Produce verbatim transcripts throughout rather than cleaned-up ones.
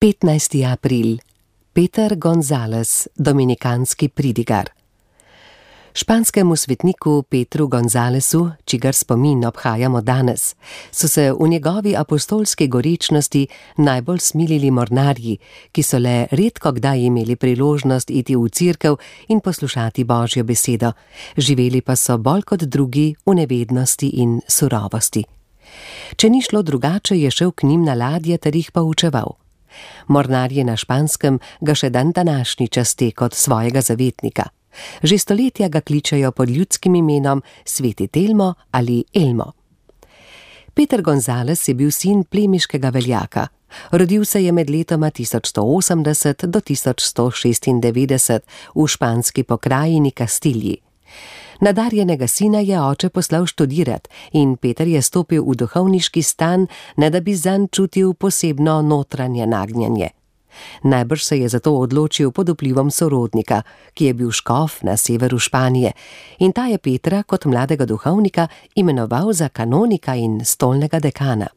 petnajsti april. Peter González, dominikanski pridigar. Španskemu svetniku Petru Gonzálezu, čigar spomin obhajamo danes, so se v njegovi apostolski gorečnosti najbolj smilili mornarji, ki so le redko kdaj imeli priložnost iti v cerkev in poslušati Božjo besedo, živeli pa so bolj kot drugi v nevednosti in surovosti. Če ni šlo drugače, je šel k njim na ladje ter jih poučeval. Mornarji na Španskem ga še dan današnji časti kot svojega zavetnika. Že stoletja ga kličejo pod ljudskim imenom Sveti Telmo ali Elmo. Peter González je bil sin plemiškega veljaka. Rodil se je med letoma tisoč sto osemdeset do tisoč sto šestindevetdeset v španski pokrajini Kastilji. Nadarjenega sina je oče poslal študirati in Peter je stopil v duhovniški stan, ne da bi zanj čutil posebno notranje nagnjenje. Najbrž se je zato odločil pod vplivom sorodnika, ki je bil škof na severu Španije, in ta je Petra kot mladega duhovnika imenoval za kanonika in stolnega dekana.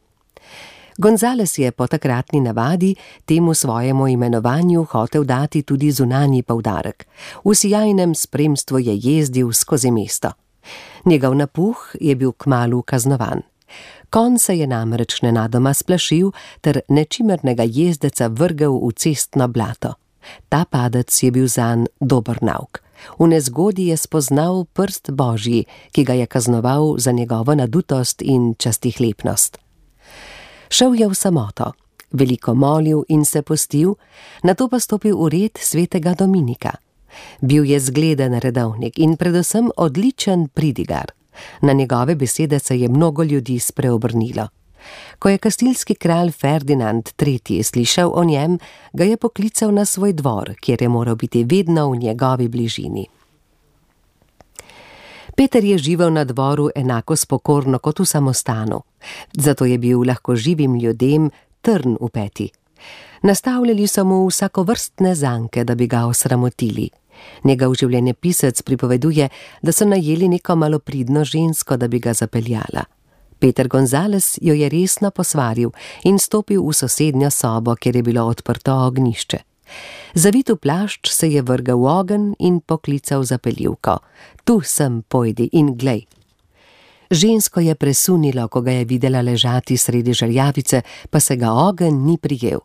González je po takratni navadi temu svojemu imenovanju hotel dati tudi zunanji poudarek. V sijajnem spremstvu je jezdil skozi mesto. Njegov napuh je bil kmalu kaznovan. Konj se je namreč nenadoma splašil ter nečimernega jezdeca vrgel v cestno blato. Ta padec je bil zanj dober nauk. V nezgodi je spoznal prst Božji, ki ga je kaznoval za njegovo nadutost in častihlepnost. Šel je v samoto, veliko molil in se postil, nato pa stopil v red svetega Dominika. Bil je zgleden redovnik in predvsem odličen pridigar. Na njegove besede se je mnogo ljudi spreobrnilo. Ko je kastilski kralj Ferdinand tretji slišal o njem, ga je poklical na svoj dvor, kjer je moral biti vedno v njegovi bližini. Peter je živel na dvoru enako spokorno kot v samostanu, zato je bil lahko živim ljudem trn v peti. Nastavljali so mu vsakovrstne zanke, da bi ga osramotili. Njegov življenjepisec pripoveduje, da so najeli neko malopridno žensko, da bi ga zapeljala. Peter González jo je resno posvaril in stopil v sosednjo sobo, kjer je bilo odprto ognjišče. Zavit v plašč se je vrgel v ogenj in poklical zapeljivko. Tu sem, pojdi in glej. Žensko je presunilo, ko ga je videla ležati sredi žerjavice, pa se ga ogenj ni prijel.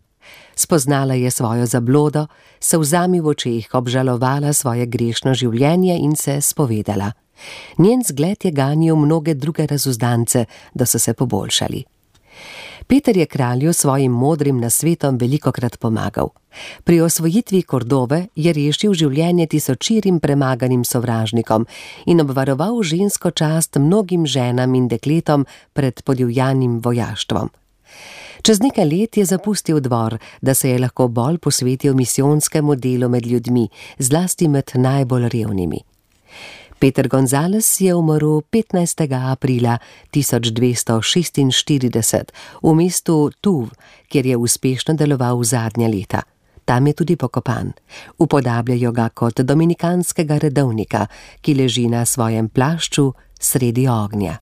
Spoznala je svojo zablodo, solzami v očeh obžalovala svoje grešno življenje in se spovedala. Njen zgled je ganil mnoge druge razuzdance, da so se poboljšali. Peter je kralju svojim modrim nasvetom velikokrat pomagal. Pri osvojitvi Kordove je rešil življenje tisočirim premaganim sovražnikom in obvaroval žensko čast mnogim ženam in dekletom pred podivjanim vojaštvom. Čez nekaj let je zapustil dvor, da se je lahko bolj posvetil misijonskemu delu med ljudmi, zlasti med najbolj revnimi. Peter González je umrl petnajstega aprila tisoč dvesto šestinštirideset v mestu Tuv, kjer je uspešno deloval v zadnja leta. Tam je tudi pokopan. Upodabljajo ga kot dominikanskega redovnika, ki leži na svojem plašču sredi ognja.